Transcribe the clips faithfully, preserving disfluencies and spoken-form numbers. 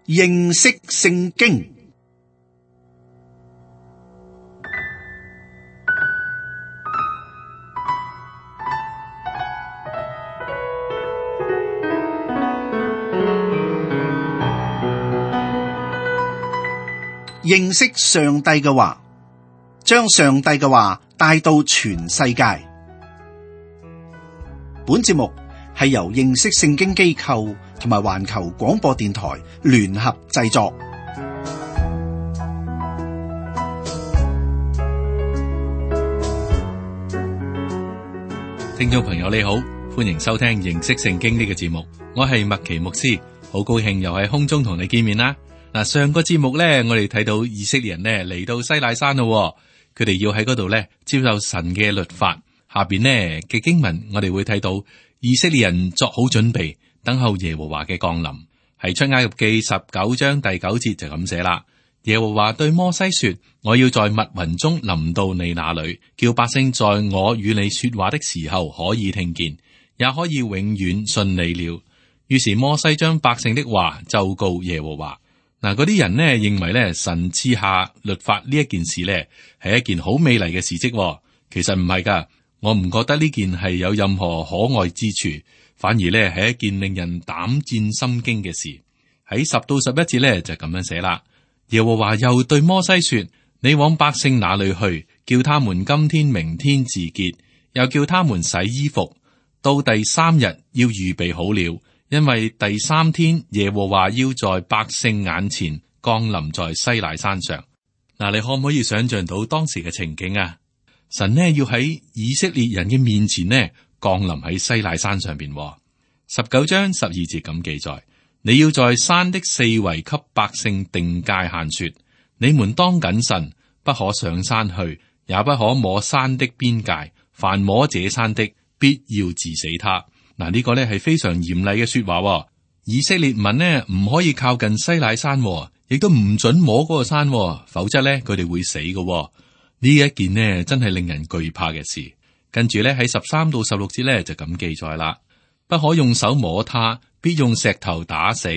認識聖經。認識上帝嘅話，將上帝嘅話帶到全世界。本節目係由認識聖經機構同埋環球廣播電台聯合製作。聽眾朋友你好，歡迎收聽認識聖經呢個節目，我係麥奇牧師，好高興又喺空中同你見面啦。嗱，上個節目咧，我哋睇到以色列人咧嚟到西乃山咯，佢哋要喺嗰度咧接受神嘅律法。下邊呢嘅經文，我哋會睇到以色列人作好準備，等候耶和華嘅降臨。喺出埃及記十九章第九節就咁寫啦。耶和華對摩西說：我要在密雲中臨到你那裏，叫百姓在我與你說話的時候可以聽見，也可以永遠信你了。於是摩西將百姓的話奏告耶和華。嗱，嗰啲人呢認為咧神賜下律法呢一件事咧係一件好美麗嘅事蹟，其實唔係噶，我唔覺得呢件係有任何可愛之處，反而咧係一件令人膽戰心驚嘅事。喺十到十一節咧就咁樣寫啦。耶和華又對摩西說：你往百姓那裏去，叫他們今天明天自潔，又叫他們洗衣服，到第三日要預備好了。因為第三天耶和華要在百姓眼前降臨在西乃山上。嗱，你可唔可以想象到當時嘅情景啊？神呢要喺以色列人嘅面前呢降臨喺西乃山上邊。十九章十二節咁記載：你要在山的四圍給百姓定界限，說：你們當謹慎，不可上山去，也不可摸山的邊界，凡摸這山的，必要治死他。嗱，呢個咧係非常嚴厲嘅說話。以色列民呢唔可以靠近西乃山，亦都唔准摸嗰個山，否則咧佢哋會死嘅。呢一件呢真係令人懼怕嘅事。跟住咧喺十三到十六節咧就咁記載啦：不可用手摸他，必用石頭打死，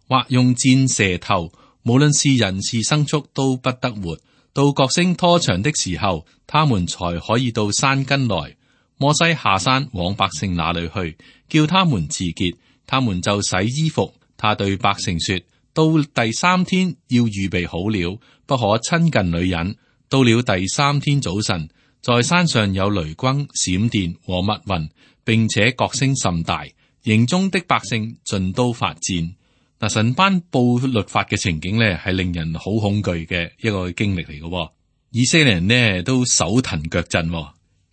或用箭射透，無論是人是牲畜都不得活。到角聲拖長的時候，他們才可以到山根來。摩西下山往百姓那裏去，叫他們自潔，他們就洗衣服。他對百姓說：到第三天要預備好了，不可親近女人。到了第三天早晨，在山上有雷轟、閃電和密雲，並且角聲甚大，營中的百姓盡都發顫。嗱，神頒布律法嘅情景呢，係令人好恐懼嘅一個經歷嚟嘅。以色列人呢都手騰腳震。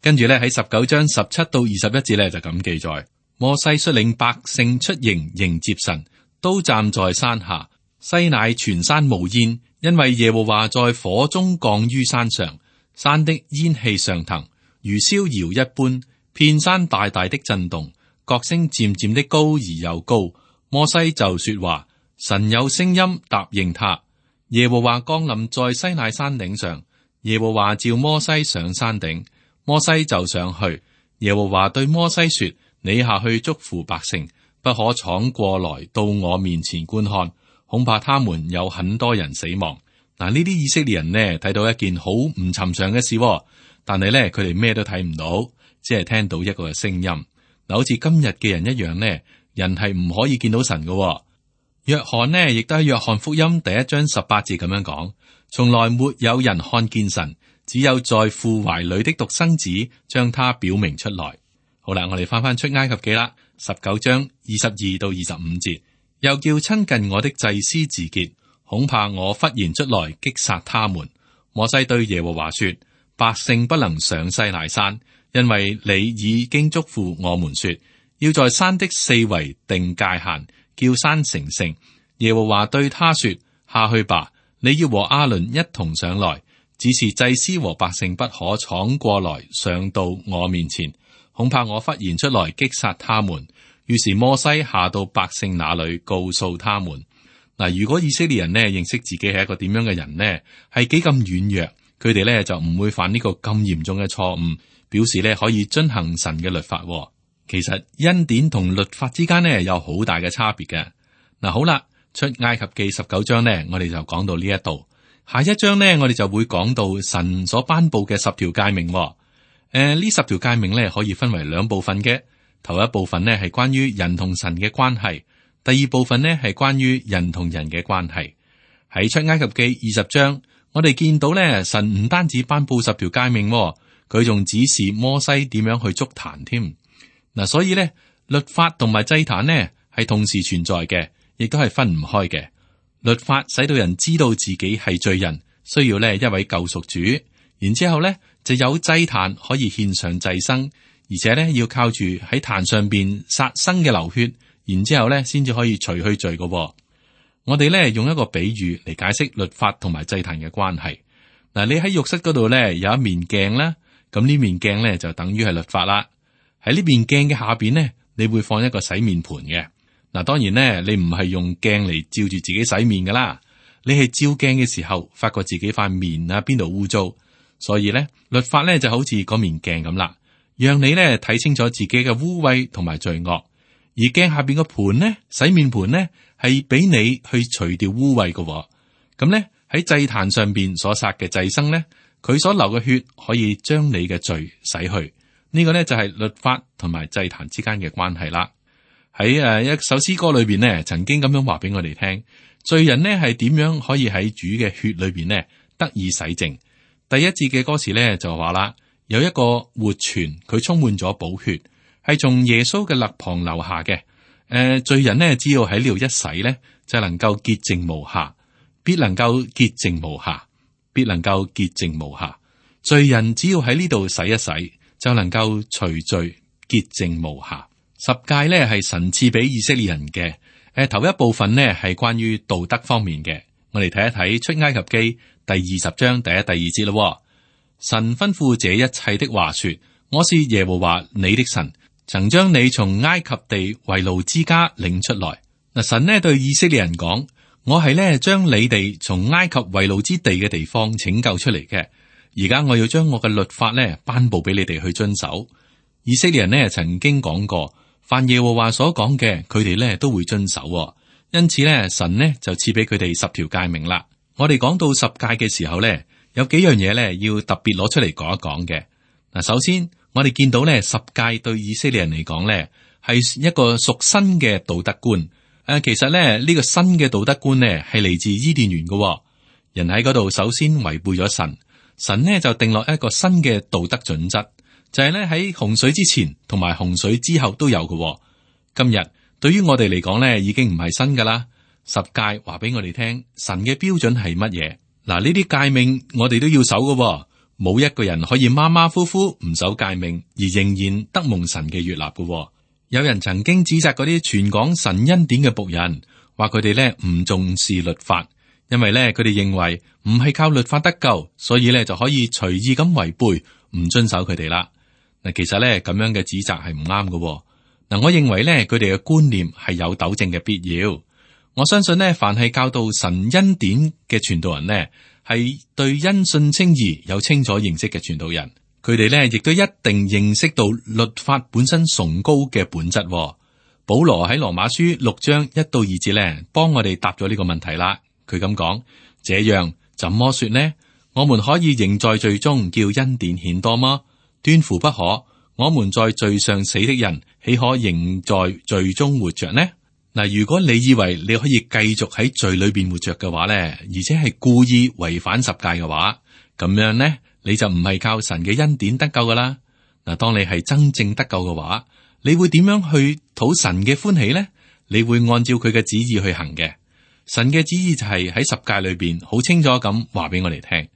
跟住咧喺十九章十七到二十一節咧就咁記載：摩西率領百姓出營迎接神，都站在山下。西乃全山冒煙，因為耶和華在火中降於山上，山的煙氣上騰，如燒窯一般，遍山大大的震動，角聲漸漸的高而又高。摩西就說話，神有聲音答應他。耶和華降臨在西乃山頂上，耶和華召摩西上山頂。摩西就上去，耶和華對摩西說：你下去囑咐百姓，不可闖過來到我面前觀看，恐怕他們有很多人死亡。嗱，呢啲以色列人呢睇到一件好唔尋常嘅事，但係咧佢哋咩都睇唔到，只係聽到一個聲音。嗱，好似今日嘅人一樣呢，人係唔可以見到神嘅。約翰呢亦都喺約翰福音第一章十八節咁樣講：從來沒有人看見神。只有在父懷裏的獨生子將他表明出來。好啦，我哋翻翻出埃及記啦，十九章二十二到二十五節，又叫親近我的祭司自潔，恐怕我忽然出來擊殺他們。摩西對耶和華說：百姓不能上西乃山，因為你已經囑咐我們說，要在山的四圍定界限，叫山成聖。耶和華對他說：下去吧，你要和亞倫一同上來。只是祭司和百姓不可闖過來上到我面前，恐怕我忽然出來擊殺他們。於是摩西下到百姓那裏，告訴他們。嗱，如果以色列人呢認識自己係一個點樣嘅人呢，係幾咁軟弱，佢哋呢就唔會犯呢個咁嚴重嘅錯誤，表示呢可以遵行神嘅律法。其實恩典同律法之間呢有好大嘅差別嘅。嗱，好啦。出埃及記十九章呢，我哋就講到呢一度。下一章呢，我哋就會講到神所頒布嘅十條誡命。誒、呃，呢十條誡命呢，可以分為兩部分嘅。頭一部分呢係關於人同神嘅關係，第二部分呢係關於人同人嘅關係。喺出埃及記二十章，我哋見到呢，神唔單止頒布十條誡命，佢仲指示摩西點樣去築壇添。嗱，所以呢，律法同埋祭壇呢係同時存在嘅，亦都係分唔開嘅。律法使到人知道自己係罪人，需要呢一位救贖主。然之後呢就有祭壇可以獻上祭牲，而且呢要靠住喺壇上邊殺生嘅流血，然之後呢先至可以除去罪嘅。我哋呢用一個比喻嚟解釋律法同埋祭壇嘅關係。嗱，你喺浴室嗰度呢有一面鏡啦，咁呢面鏡呢就等於係律法啦。喺呢面鏡嘅下邊呢，你會放一個洗面盆嘅。嗱，當然咧，你唔係用鏡嚟照住自己洗面噶啦，你係照鏡嘅時候，發覺自己塊面啊邊度污糟，所以咧，律法咧就好似嗰面鏡咁啦，讓你咧睇清楚自己嘅污穢同埋罪惡。而鏡下邊個盤咧，洗面盤咧，係俾你去除掉污穢嘅。咁咧喺祭壇上邊所殺嘅祭牲咧，佢所流嘅血可以將你嘅罪洗去。呢個咧就係律法同埋祭壇之間嘅關係啦。喺誒一首詩歌裏邊呢，曾經咁樣話俾我哋聽，罪人呢係點樣可以喺主嘅血裏邊呢得以洗淨。第一節嘅歌詞呢就話啦，有一個活泉，佢充滿咗寶血，係從耶穌嘅肋旁流下嘅。誒、呃，罪人呢只要喺呢度一洗呢，就能夠潔淨無瑕，必能夠潔淨無瑕，必能夠潔淨無瑕。罪人只要喺呢度洗一洗，就能夠除罪潔淨無瑕。十誡咧係神賜俾以色列人嘅。誒、呃，頭一部分呢係關於道德方面嘅。我哋睇一睇出埃及記第二十章第一、第二節咯。神吩咐這一切的話說：我是耶和華你的神，曾將你從埃及地為奴之家領出來。嗱，神呢對以色列人講：我係呢將你哋從埃及為奴之地嘅地方拯救出嚟嘅。而家我要將我嘅律法呢頒布俾你哋去遵守。以色列人呢曾經講過，凡耶和華所講嘅，佢哋咧都會遵守。因此咧，神呢就賜俾佢哋十條誡命啦。我哋講到十誡嘅時候咧，有幾樣嘢咧要特別攞出嚟講一講嘅。嗱，首先我哋見到咧十誡對以色列人嚟講咧係一個屬新嘅道德觀。誒，其實咧呢個新嘅道德觀咧係嚟自伊甸園嘅。人喺嗰度首先違背咗神，神呢就定落一個新嘅道德準則。就係咧喺洪水之前同埋洪水之後都有嘅。今日對於我哋嚟講咧，已經唔係新噶啦。十誡話俾我哋聽，神嘅標準係乜嘢？嗱，呢啲誡命我哋都要守嘅。冇一個人可以馬馬虎虎唔守誡命而仍然得蒙神嘅悅納嘅。有人曾經指責嗰啲傳講神恩典嘅僕人，話佢哋咧唔重視律法，因為咧佢哋認為唔係靠律法得救，所以咧就可以隨意咁違背，唔遵守佢哋啦。嗱，其實咧咁樣嘅指責係唔啱嘅。嗱，我認為咧佢哋嘅觀念係有糾正嘅必要。我相信呢，凡係教導神恩典嘅傳道人呢，係對因信稱義有清楚認識嘅傳道人。佢哋咧亦都一定認識到律法本身崇高嘅本質。保羅喺羅馬書六章一到二節咧，幫我哋答咗呢個問題啦。佢咁講：這樣怎麼說呢？我們可以仍在罪中叫恩典顯多嗎？斷乎不可！我們在罪上死的人，豈可仍在罪中活着呢？嗱，如果你以為你可以繼續喺罪裏邊活着嘅話咧，而且係故意違反十誡嘅話，咁樣呢，你就唔係靠神嘅恩典得救噶啦。嗱，當你係真正得救嘅話，你會點樣去討神嘅歡喜呢？你會按照佢嘅旨意去行嘅。神嘅旨意就係喺十誡裏邊好清楚咁話俾我哋聽，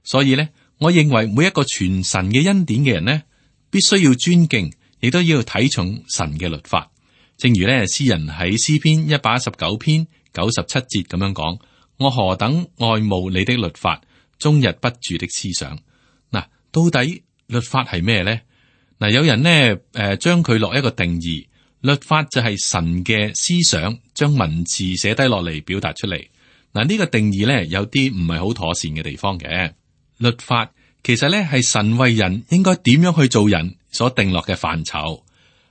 所以咧。我認為每一個傳神嘅恩典嘅人呢，必須要尊敬，亦都要睇重神嘅律法。正如咧，詩人喺詩篇一百一十九篇九十七節咁樣講：我何等愛慕你的律法，終日不住的思想。嗱，到底律法係咩咧？嗱，有人呢誒，將佢落一個定義，律法就係神嘅思想，將文字寫低落嚟表達出嚟。嗱，呢個定義咧有啲唔係好妥善嘅地方嘅。律法其實咧係神為人應該點樣去做人所定落嘅範疇。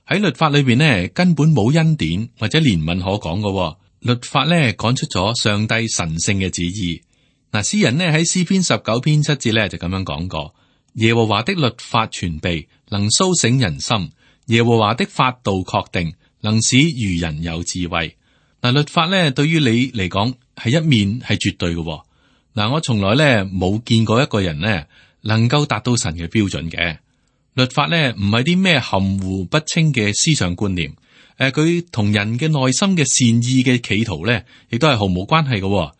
喺律法裏邊呢，根本冇恩典或者憐憫可講嘅。律法咧講出咗上帝神聖嘅旨意。嗱，詩人呢喺詩篇十九篇七節咧就咁樣講過：耶和華的律法全備，能蘇醒人心；耶和華的法度確定，能使愚人有智慧。嗱，律法咧對於你嚟講係一面係絕對嘅。嗱，我從來咧冇見過一個人呢能夠達到神嘅標準嘅。律法咧唔係啲咩含糊不清嘅思想觀念，誒，佢同人嘅內心嘅善意嘅企圖咧，亦都係毫無關係嘅。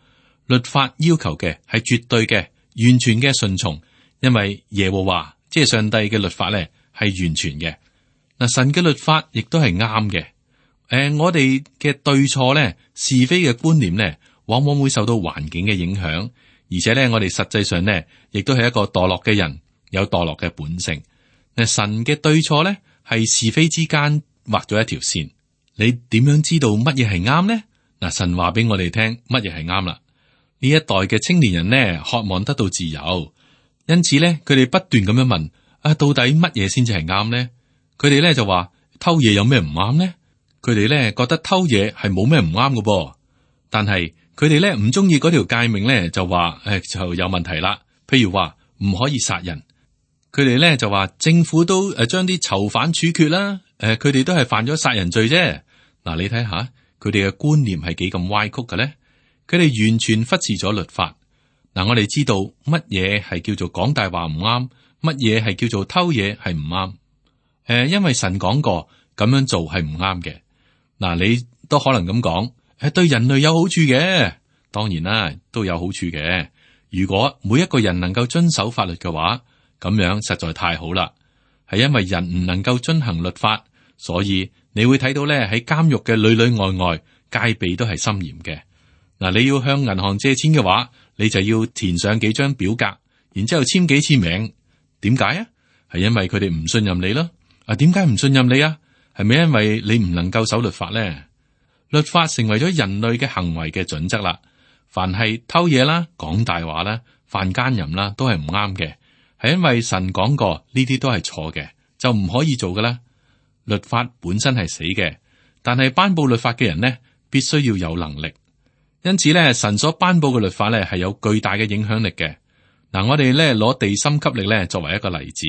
律法要求嘅係絕對嘅、完全嘅順從，因為耶和華即係上帝嘅律法咧係完全嘅。嗱，神嘅律法亦都係啱嘅。誒、呃，我哋嘅對錯咧、是非嘅觀念咧，往往會受到環境嘅影響，而且咧，我哋實際上咧，亦都係一個墮落嘅人，有墮落嘅本性。嗱，神嘅對錯咧係是非之間畫咗一條線，你點樣知道乜嘢係啱呢？嗱，神話俾我哋聽乜嘢係啱啦。呢一代嘅青年人呢，渴望得到自由，因此咧，佢哋不斷咁樣問：啊，到底乜嘢先至係啱呢？佢哋咧就話偷嘢有咩唔啱呢？佢哋咧覺得偷嘢係冇咩唔啱嘅噃，但係佢哋咧唔中意嗰條誡命咧，就話誒就有問題啦。譬如話唔可以殺人，佢哋咧就話政府都誒將啲囚犯處決啦，誒佢哋都係犯咗殺人罪啫。嗱，你睇下佢哋嘅觀念係幾咁歪曲嘅咧？佢哋完全忽視咗律法。嗱，我哋知道乜嘢係叫做講大話唔啱，乜嘢係叫做偷嘢係唔啱。誒，因為神講過咁樣做係唔啱嘅。嗱，你都可能咁講，誒，對人類有好處嘅，當然啦，都有好處嘅。如果每一個人能夠遵守法律嘅話，咁樣實在太好啦。係因為人唔能夠遵行律法，所以你會睇到咧喺監獄嘅裏裏外外戒備都係森嚴嘅。嗱，你要向銀行借錢嘅話，你就要填上幾張表格，然之後簽幾次名。點解啊？係因為佢哋唔信任你咯。啊，點解唔信任你啊？係咪因為你唔能夠守律法咧？律法成為咗人類嘅行為嘅準則啦。凡係偷嘢啦、講大話啦、犯奸淫啦，都係唔啱嘅。係因為神講過呢啲都係錯嘅，就唔可以做㗎啦。律法本身係死嘅，但係頒布律法嘅人呢，必須要有能力。因此咧，神所頒布嘅律法咧係有巨大嘅影響力嘅。嗱，我哋咧攞地心吸力咧作為一個例子。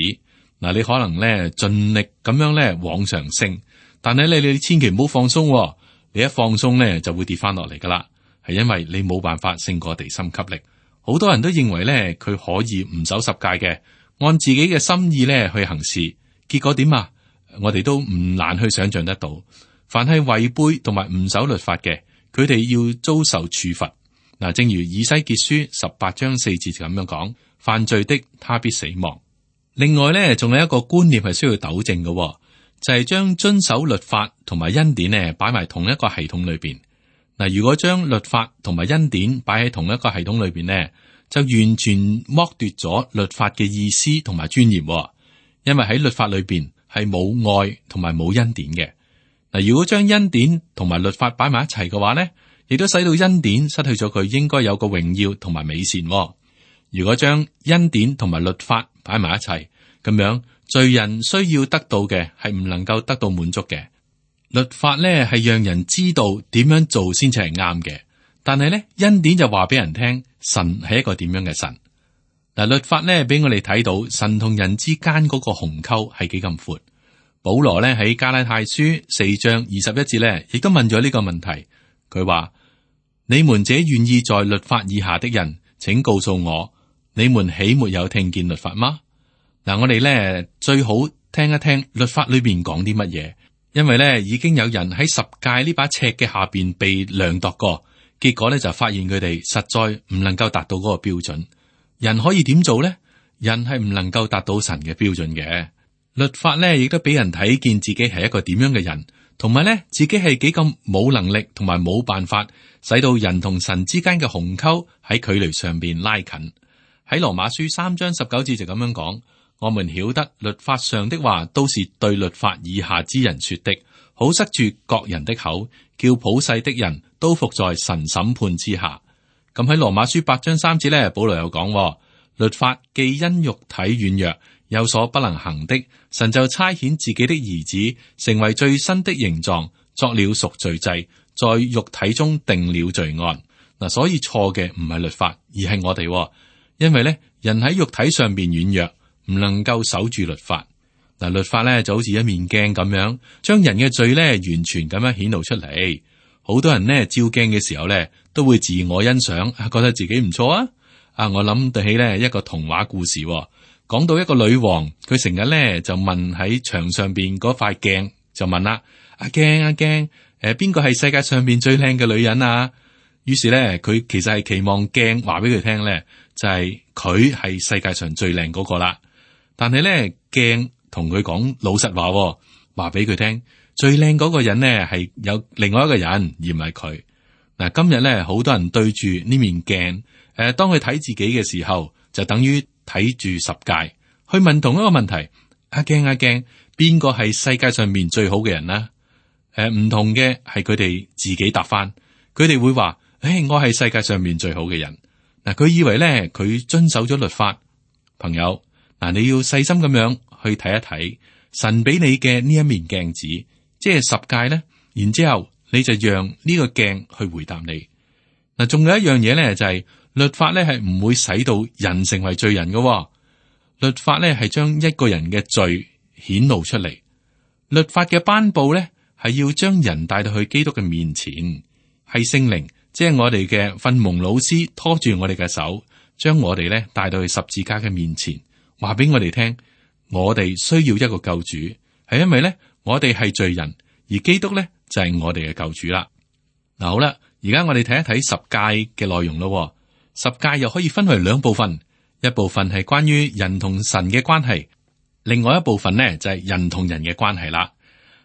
嗱，你可能咧盡力咁樣咧往上升，但係咧你千祈唔好放鬆。你一放鬆咧就會跌翻落嚟噶啦，係因為你冇辦法勝過地心吸力。好多人都認為咧佢可以唔守十誡嘅，按自己嘅心意咧去行事，結果點啊？我哋都唔難去想象得到。凡係違背同埋唔守律法嘅，佢哋要遭受處罰。嗱，正如以西結書十八章四節咁樣講，犯罪的他必死亡。另外咧，仲有一個觀念係需要糾正嘅，就係將遵守律法同埋恩典咧擺埋同一個系統裏邊。嗱，如果將律法同埋恩典擺喺同一個系統裏邊咧，就完全剝奪咗律法嘅意思同埋尊嚴。因為喺律法裏邊係冇愛同埋冇恩典嘅。嗱，如果將恩典同埋律法擺埋一齊嘅話咧，亦都使到恩典失去咗佢應該有個榮耀同埋美善。如果將恩典同埋律法擺埋一齊，咁樣罪人需要得到嘅係唔能夠得到滿足嘅。律法咧係讓人知道點樣做先至係啱嘅，但係咧恩典就話俾人聽神係一個點樣嘅神。嗱，律法咧俾我哋睇到神同人之間嗰個鴻溝係幾咁闊。保羅咧喺加拉太書四章二十一節咧，亦都問咗呢個問題。佢話：你們這願意在律法以下的人，請告訴我，你們豈沒有聽見律法嗎？嗱，我哋咧最好聽一聽律法裏邊講啲乜嘢，因為咧已經有人喺十誡呢把尺嘅下邊被量度過，結果咧就發現佢哋實在唔能夠達到嗰個標準。人可以點做咧？人係唔能夠達到神嘅標準嘅。律法咧亦都俾人睇見自己係一個點樣嘅人，同埋咧自己係幾咁冇能力，同埋冇辦法使到人同神之間嘅鴻溝喺距離上邊拉近。喺羅馬書三章十九節就咁樣講。我們曉得律法上的話都是對律法以下之人說的，好塞住各人的口，叫普世的人都服在神審判之下。咁喺羅馬書八章三節咧，保羅有講，律法既因肉體軟弱有所不能行的，神就差遣自己的兒子成為最新的形狀，作了贖罪祭，在肉體中定了罪案。嗱，所以錯嘅唔係律法，而係我哋，因為咧人喺肉體上邊軟弱，唔能夠守住律法。嗱，律法咧就好似一面鏡咁樣，將人嘅罪咧完全咁樣顯露出嚟。好多人呢，照鏡嘅時候咧，都會自我欣賞，覺得自己唔錯啊！啊，我諗得起咧一個童話故事，講到一個女王，佢成日咧就問喺牆上邊嗰塊鏡，就問啦：阿鏡阿鏡，誒，邊個係世界上邊最靚嘅女人啊？於是咧，佢其實係期望鏡話俾佢聽咧，就係佢係世界上最靚嗰個啦。但係咧，鏡同佢講老實話，話俾佢聽。最靚嗰個人呢，係有另外一個人，而唔係佢。嗱，今日咧，好多人對住呢面鏡，誒，當佢睇自己嘅時候，就等於睇住十誡，去問同一個問題：阿鏡阿鏡，邊個係世界上面最好嘅人呢？誒，唔同嘅係佢哋自己答翻，佢哋會話：誒，我係世界上面最好嘅人。嗱，佢以為咧，佢遵守咗律法。朋友，嗱，你要細心咁樣去睇一睇神俾你嘅呢一面鏡子。即係十誡咧，然之後你就讓呢個鏡去回答你。嗱，仲有一樣嘢咧，就係律法咧係唔會使到人成為罪人嘅。律法咧係將一個人嘅罪顯露出嚟。律法嘅頒布咧係要將人帶到去基督嘅面前，係聖靈，即係我哋嘅訓蒙老師拖住我哋嘅手，將我哋咧帶到去十字架嘅面前，話俾我哋聽，我哋需要一個救主，係因為咧。我哋係罪人，而基督咧就係我哋嘅救主啦。嗱，好啦，而家我哋睇一睇十誡嘅內容咯。十誡又可以分為兩部分，一部分係關於人同神嘅關係，另外一部分呢就係人同人嘅關係啦。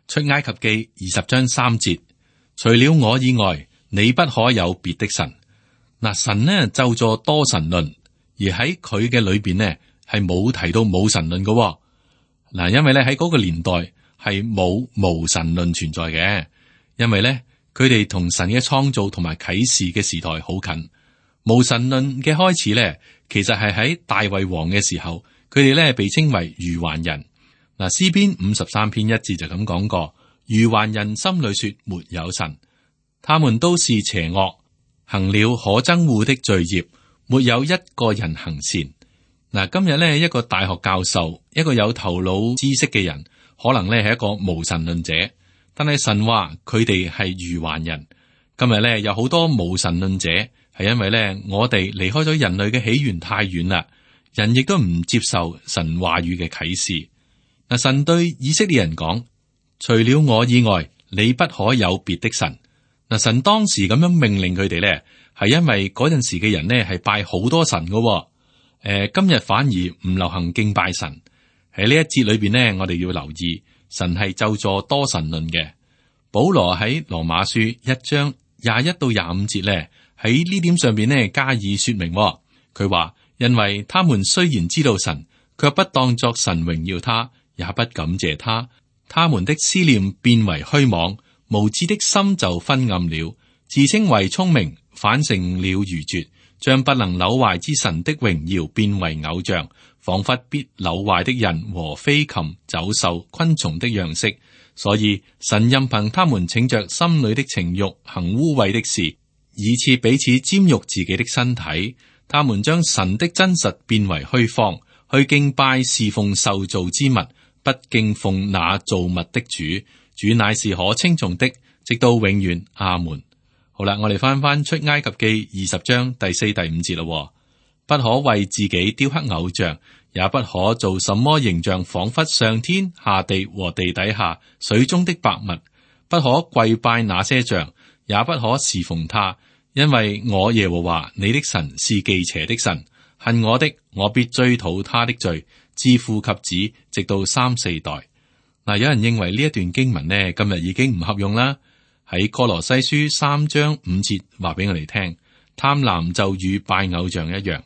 出埃及記二十章三節，除了我以外，你不可有別的神。嗱，神呢咒詛多神論，而喺佢嘅裏邊呢係冇提到冇神論嘅。嗱，因為咧喺嗰個年代。係冇無神論存在嘅，因為咧佢哋同神嘅創造同埋啟示嘅時代好近。無神論嘅開始咧，其實係喺大衛王嘅時候，佢哋咧被稱為愚頑人。嗱，詩篇五十三篇一節就咁講過：愚頑人心裏說沒有神，他們都是邪惡，行了可憎惡的罪孽，沒有一個人行善。嗱，今日咧一個大學教授，一個有頭腦知識嘅人。可能咧係一個無神論者，但係神話佢哋係愚頑人。今日咧有好多無神論者，係因為咧我哋離開咗人類嘅起源太遠啦，人亦都唔接受神話語嘅啟示。嗱，神對以色列人講：除了我以外，你不可有別的神。嗱，神當時咁樣命令佢哋咧，係因為嗰陣時嘅人呢係拜好多神噶。誒、呃，今日反而唔流行敬拜神。喺呢一節裏邊呢，我哋要留意神係咒詛多神論嘅。保羅喺羅馬書一章廿一到廿五節咧，喺呢點上邊呢加以說明。佢話：因為他們雖然知道神，卻不當作神榮耀他，也不感謝他，他們的思念變為虛妄，無知的心就昏暗了，自稱為聰明，反成了愚拙，將不能朽壞之神的榮耀變為偶像，仿佛必朽壞的人和飛禽、走獸、昆蟲的樣式。所以神任憑他們逞着心裏的情欲，行污穢的事，以致彼此沾辱自己的身體。他們將神的真實變為虛謊，去敬拜侍奉受造之物，不敬奉那造物的主。主乃是可稱頌的，直到永遠。阿門。好啦，我哋翻翻出埃及記二十章第四、第五節咯。不可為自己雕刻偶像，也不可做什麼形象，仿佛上天下地和地底下水中的百物。不可跪拜那些像，也不可侍奉他，因為我耶和華你的神是忌邪的神，恨我的，我必追討他的罪，自父及子，直到三四代。嗱，有人認為呢一段經文呢，今日已經唔合用啦。喺哥羅西書三章五節話俾我哋聽，貪婪就與拜偶像一樣。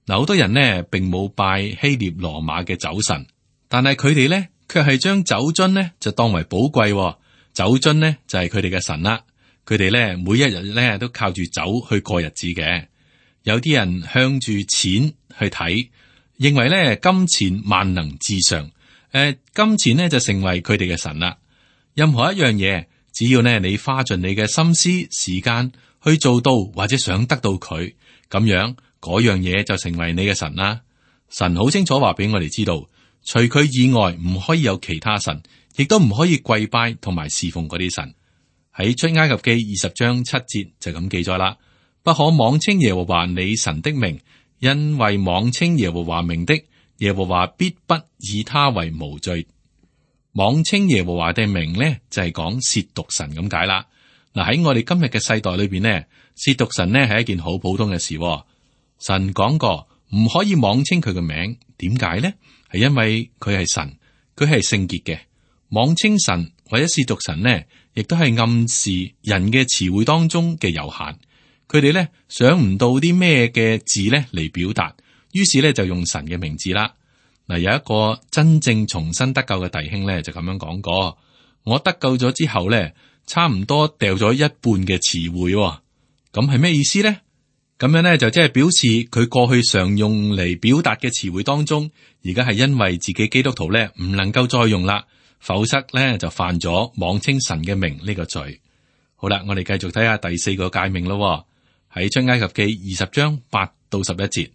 嗱，好多人呢並冇拜希臘羅馬嘅酒神，但係佢哋呢卻係將酒樽呢就當為寶貴，酒樽呢就係佢哋嘅神啦。佢哋呢每一日呢都靠住酒去過日子嘅。有啲人向住錢去睇，認為呢金錢萬能至上，誒、呃，金錢呢就成為佢哋嘅神啦。任何一樣嘢，只只要呢你花盡你嘅心思時間去做到或者想得到佢，咁樣嗰樣嘢就成為你嘅神啦。神好清楚話俾我哋知道，除佢以外唔可以有其他神，亦都唔可以跪拜同埋侍奉嗰啲神。喺出埃及記二十章七節就咁記載啦，不可妄稱耶和華你神的名，因為妄稱耶和華名的，耶和華必不以他為無罪。妄稱耶和華的名呢，就係講褻瀆神咁解啦。嗱，喺我哋今日嘅世代裏邊呢，褻瀆神呢係一件好普通嘅事。神講過唔可以妄稱佢嘅名，點解呢？係因為佢係神，佢係聖潔嘅。妄稱神或者褻瀆神呢，亦都係暗示人嘅詞彙當中嘅有限。佢哋呢想唔到啲咩嘅字呢嚟表達，於是呢就用神嘅名字啦。嗱，有一個真正重生得救嘅弟兄咧，就咁樣講過：我得救咗之後咧，差唔多掉咗一半嘅詞彙。咁係咩意思咧？咁樣咧就即係表示佢過去常用嚟表達嘅詞彙當中，而家係因為自己基督徒咧唔能夠再用啦，否則咧就犯咗妄稱神嘅名呢個罪。好啦，我哋繼續睇下第四個誡命咯。喺出埃及記二十章八到十一節。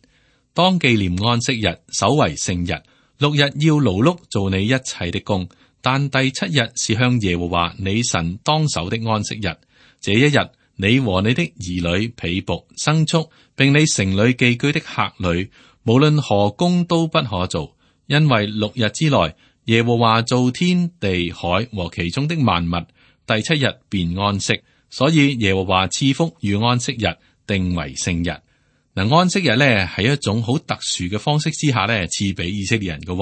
當紀念安息日，守為聖日。六日要勞碌做你一切的工，但第七日是向耶和華你神當守的安息日。這一日，你和你的兒女、婢僕、牲畜，並你城裏寄居的客旅，無論何工都不可做，因為六日之內，耶和華造天地海和其中的萬物，第七日便安息。所以耶和華賜福與安息日，定為聖日。嗱，安息日咧係一種好特殊嘅方式之下咧賜俾以色列人嘅。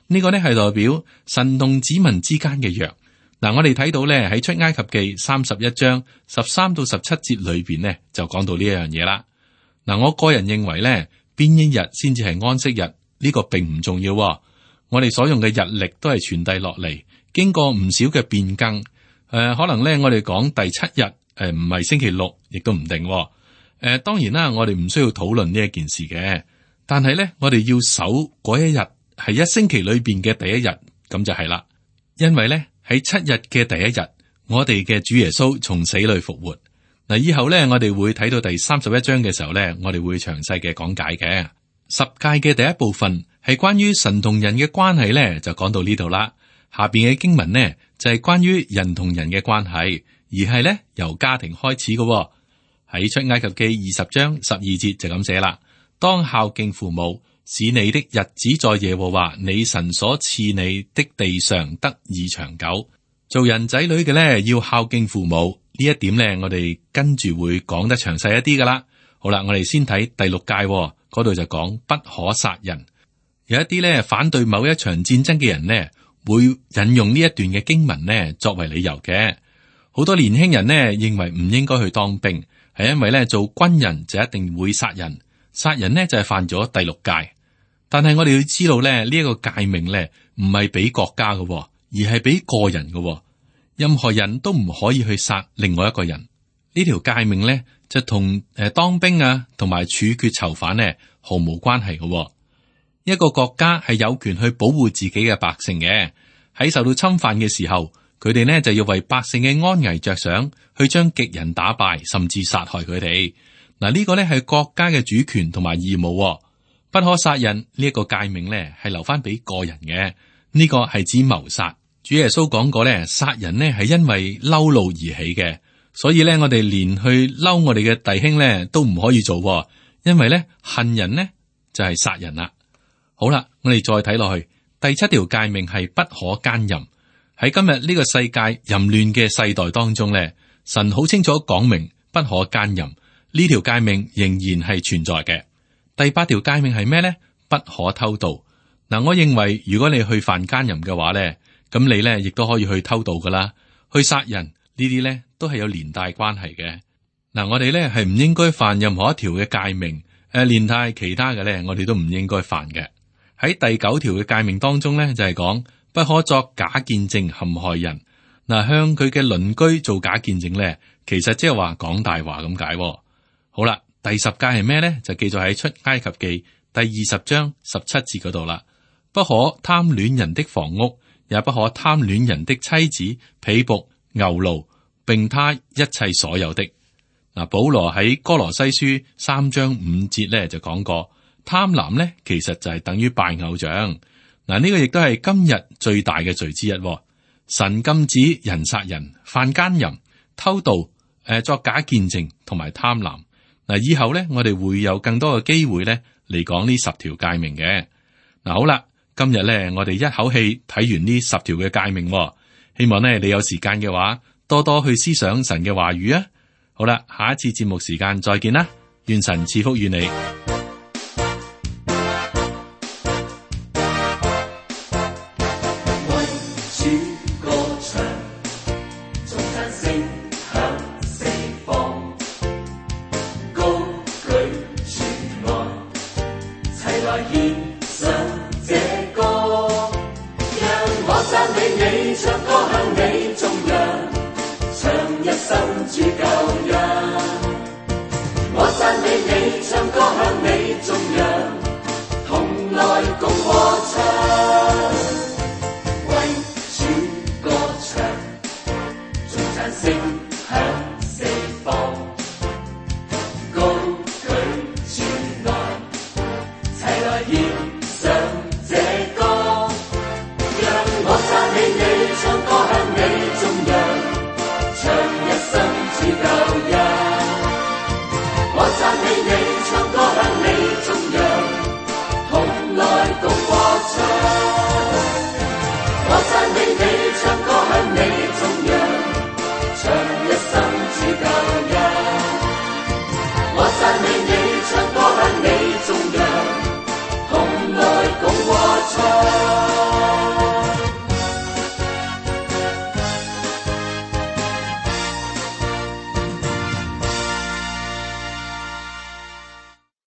呢、這個咧係代表神同子民之間嘅約。嗱，我哋睇到咧喺出埃及記三十一章十三到十七節裏邊咧就講到呢一樣嘢啦。嗱，我個人認為咧邊一日先至係安息日呢、這個並唔重要。我哋所用嘅日曆都係傳遞落嚟，經過唔少嘅變更。誒、呃，可能咧我哋講第七日誒唔係星期六，亦都唔定。誒、呃，當然啦，我哋唔需要討論呢一件事嘅，但係咧，我哋要守嗰一日係一星期裏邊嘅第一日，咁就係啦。因為咧喺七日嘅第一日，我哋嘅主耶穌從死裏復活。嗱，以後咧我哋會睇到第三十一章嘅時候咧，我哋會詳細嘅講解嘅。十誡嘅第一部分係關於神同人嘅關係咧，就講到呢度啦。下邊嘅經文呢就係、是、關於人同人嘅關係，而係咧由家庭開始嘅。喺出埃及記二十章十二節就咁寫啦，當孝敬父母，使你的日子在耶和華你神所賜你的地上得以長久。做人仔女嘅咧要孝敬父母，呢一點咧我哋跟住會講得詳細一啲噶啦。好啦，我哋先睇第六誡嗰度就講不可殺人。有一啲咧反對某一場戰爭嘅人呢，會引用呢一段嘅經文呢作為理由嘅。好多年輕人呢認為唔應該去當兵。係因為咧做軍人就一定會殺人，殺人呢就係犯咗第六誡。但係我哋要知道咧呢一個誡命咧唔係俾國家嘅，而係俾個人嘅。任何人都唔可以去殺另外一個人。呢條誡命咧就同誒當兵啊同埋處決囚犯呢毫無關係嘅。一個國家係有權去保護自己嘅百姓嘅，喺受到侵犯嘅時候。佢哋呢就要為百姓嘅安危着想，去將敵人打敗，甚至殺害佢哋。嗱，呢個呢係國家嘅主權同埋義務，不可殺人。呢一個誡命呢係留翻俾個人嘅，呢個係指謀殺。主耶穌講過呢，殺人呢係因為嬲怒而起嘅，所以呢，我哋連去嬲我哋嘅弟兄呢都唔可以做，因為呢恨人呢就係殺人啦。好啦，我哋再睇落去，第七條誡命係不可奸淫。喺今日呢個世界淫亂嘅世代當中咧，神好清楚講明不可奸淫，呢條誡命仍然係存在嘅。第八條誡命係咩咧？不可偷盜。嗱，我認為如果你去犯奸淫嘅話咧，咁你咧亦都可以去偷盜噶啦，去殺人呢啲咧都係有連帶關係嘅。嗱，我哋咧係唔應該犯任何一條嘅誡命，誒，連帶其他嘅咧，我哋都唔應該犯嘅。喺第九條嘅誡命當中咧，就係講。不可作假見證陷害人。嗱，向佢嘅鄰居做假見證咧，其實即係話講大話咁解。好啦，第十誡係咩咧？就記載喺出埃及記第二十章十七節嗰度啦。不可貪戀人的房屋，也不可貪戀人的妻子、婢僕、牛驢並他一切所有的。嗱，保羅喺哥羅西書三章五節咧就講過，貪婪咧其實就係等於拜偶像。嗱，呢個亦都係今日最大嘅罪之一。神禁止人殺人、犯奸淫、偷盜、誒作假見證同埋貪婪。嗱，以後咧我哋會有更多嘅機會咧嚟講呢十條誡命嘅。嗱，好啦，今日咧我哋一口氣睇完呢十條嘅誡命，希望咧你有時間嘅話，多多去思想神嘅話語啊！好啦，下一次節目時間再見啦，願神賜福於你。為主歌唱，頌讚聲響四方，高舉主愛，齊來獻